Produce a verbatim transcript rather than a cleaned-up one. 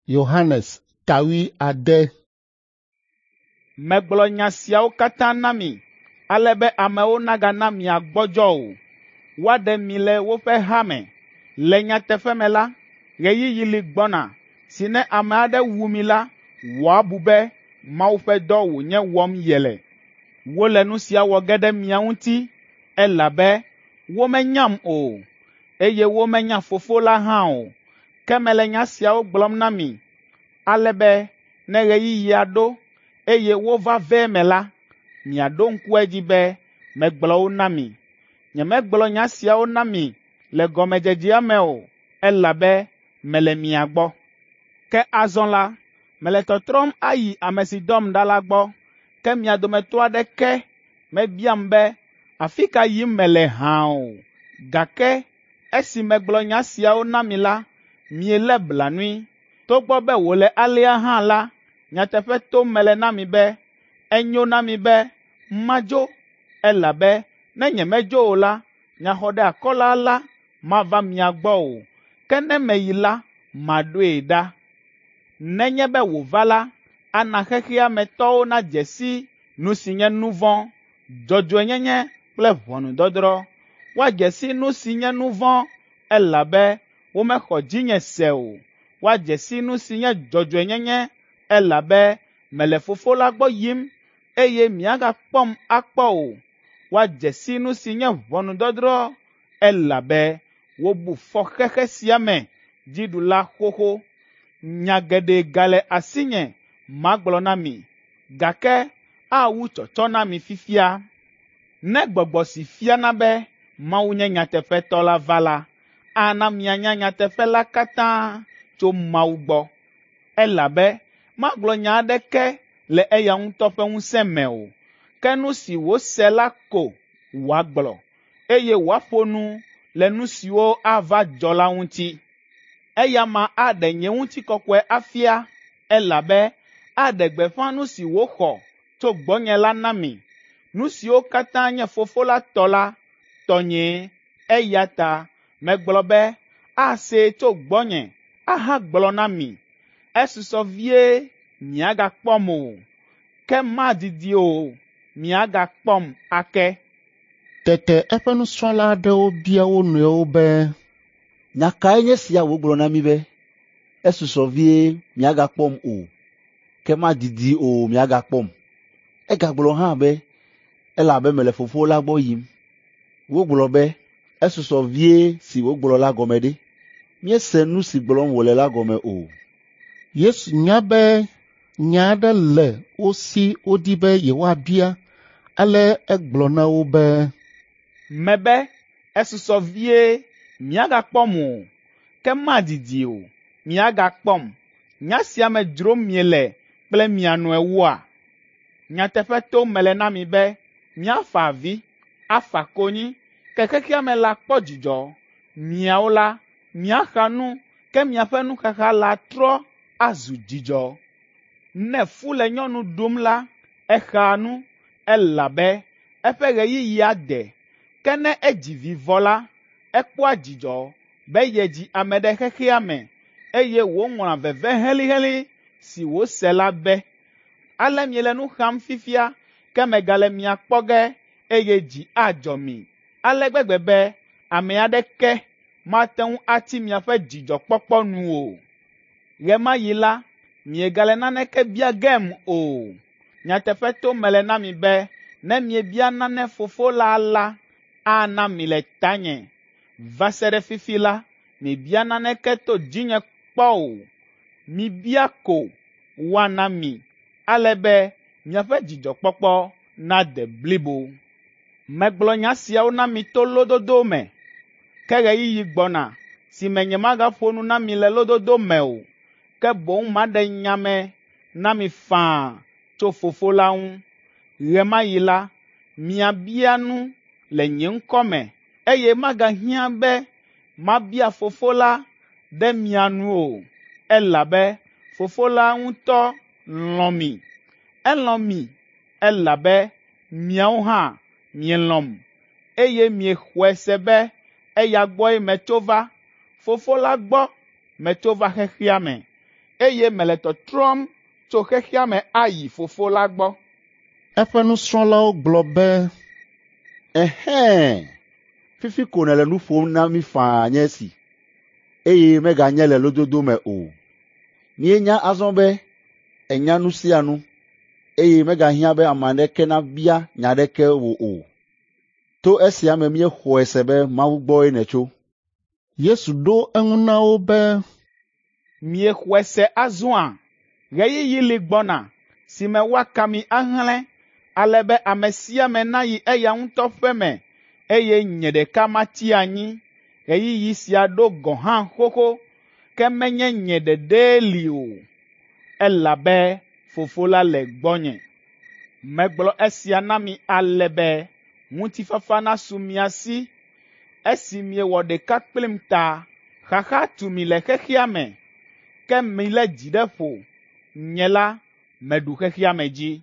Yohanes ta wuiade. Megblɔ nya siawo katã na mi, ale be amewo nagana miagbɔdzɔ o. Woaɖe mi le woƒe ha me. Le nyateƒe me la, ɣeyiɣi li gbɔna si ne ame aɖe wu mi la, wòabu be Mawu ƒe dɔ wònye wɔm yele. Wole nu sia wɔ ge ɖe mia ŋuti, elabe womenyam o, eye womenya Fofo la hã o. Ke mele nya siawo gblɔm na mi, ale be ne ɣeyiɣia ɖo, eye wova ve eme la, miaɖo ŋku edzi be megblɔ wo na mi. Nyemegblɔ nya siawo na mi le gɔmedzedzea me o, elabe mele mia gbɔ. Ke azɔ la, mele tɔtrɔm ayi ame si dɔm ɖa la gbɔ, ke mia dometɔ aɖeke mebiam be, ‘Afi ka yim mele hã o?’ Gake esi megblɔ nya siawo na mi la, mielé blanui. Togbɔ be wòle alea hã la, nyateƒe tom mele na mi be, enyo na mi be madzo, elabe ne nyemedzo o la, Nyaxɔɖeakɔla la mava mia gbɔ o, ke ne meyi la, maɖoe ɖa. Nenye be wòva la, ana xexea me tɔwo nadze si nu si nye nu vɔ̃, dzɔdzɔenyenye kple ʋɔnudɔdrɔ̃. Woadze si nu si nye nu vɔ̃, elabe womexɔ dzinye se o. Woadze si nu si nye dzɔdzɔenyenye, elabe mele Fofo la gbɔ yim, eye miagakpɔm akpɔ o. Woadze si nu si nye ʋɔnudɔdrɔ̃, elabe wobu fɔ xexe sia me dziɖula xoxo. Nya geɖe gale asinye magblɔ na mi, gake awu tsɔtsɔ na mi fifia. Ne gbɔgbɔ si fiana be Mawu nye nyateƒetɔ la va la, ana mianya nyateƒe la katã tso Mawu gbɔ, elabe magblɔ nya aɖeke le eya ŋutɔ ƒe ŋusẽ me o, ke nu si wòse la ko wòagblɔ, eye wòaƒo nu le nu siwo ava dzɔ la ŋuti. Eya ma aɖe nye ŋutikɔkɔe afia, elabe aɖe gbeƒã nu si wòxɔ tso gbɔnye la na mi. Nu siwo katã nye Fofo la tɔ la, tɔnyee, eya ta megblɔ be asee tso gbɔnye ahagblɔ na mi. Esusɔ vie miagakpɔm o, ke madidi o, miagakpɔm ake. Tete eƒe nusrɔ̃la aɖewo bia wo nɔewo be, “Nya kae nye sia wògblɔ na mí be, ‘Esusɔ vie miagakpɔm o, ke madidi o miagakpɔm.’ Egagblɔ hã be, ‘Elabe mele Fofo la gbɔ yim.’ Wogblɔ be, ‘Esusɔ vie si wògblɔ la gɔme ɖe? Míese nu si gblɔm wòle la gɔme o.’ Yesu nya be nya aɖe le wo si wodi be yewoabia, ale egblɔ na wo be, “Mebe esusɔ vie miagakpɔm o, ke madidi o, miagakpɔm. Nya sia me dzrom miele kple mia nɔewoa? Nyateƒe tom mele na mi be miafa avi, afa konyi, ke xexea me la kpɔ dzidzɔ. Miawo la, miaxa nu, ke miaƒe nuxaxa la trɔ azu dzidzɔ. Ne fu le nyɔnu ɖum la, exaa nu, elabe eƒe ɣeyiɣia de. Ke ne edzi vi vɔ la, ekpɔa dzidzɔ be yedzi ame ɖe xexea me, eye wòŋlɔa veve helĩhelĩ si wòse la be. Ale miele nu xam fifia, ke megale mia kpɔ ge, eye dzi adzɔ mi ale gbegbe be ame aɖeke mate ŋu atsi miaƒe dzidzɔkpɔkpɔ nu o. Ɣe ma ɣi la, miegale naneke bia gem o. Nyateƒe tom mele na mi be ne miebia nane Fofo la la, ana mi le tanye. Va se ɖe fifi la, miebia naneke to dzinye kpɔ o. Mibia ko woana mi, ale be miaƒe dzidzɔkpɔkpɔ nade blibo. Megblɔ nya siawo na mi to lododo me, ke ɣeyiɣi gbɔna si me nyemagaƒo nu na mi le lododo me o, ke boŋ maɖe nya me na mi faa tso Fofo la ŋu. Ɣe ma ɣi la, miabia nu le nye ŋkɔ me, eye magahiã be mabia Fofo la ɖe mia nu o, elabe Fofo la ŋutɔ lɔ̃ mi. Elɔ̃ mi elabe miawo hã mielɔ̃m, eye miexɔe se be eya gbɔe metso va. Fofo la gbɔ metso va xexea me. eye mele tɔtrɔm tso xexea me ayi Fofo la gbɔ. Eƒe nusrɔ̃lawo gblɔ be, Ɛhɛ̃! Fifi ko nèle nu ƒom na mí faa nye esi, eye meganye le lododo me o. Míenya azɔ be ènya nu sia nu, eye megahiã be ame aɖeke nabia nya aɖeke wò o. To esia me míexɔe se be Mawu gbɔe nètso.” Yesu ɖo eŋu na wo be, Miexɔe se azɔa? Ɣeyiɣi li gbɔna si me woaka mi ahlẽ, ale be ame sia ame nayi eya ŋutɔ ƒe me, eye nye ɖeka matsi anyi. Ɣeyiɣi sia ɖo gɔ̃ hã xoxo, ke menye nye ɖeɖee li o, elabe Fofo la le gbɔnye. Megblɔ esia na mi ale be ŋutifafa nasu mia si esi miewɔ ɖeka kplim ta. Xaxa tu mi le xexea me, ke milé dzi ɖe ƒo. Nye la, meɖu xexea me dzi.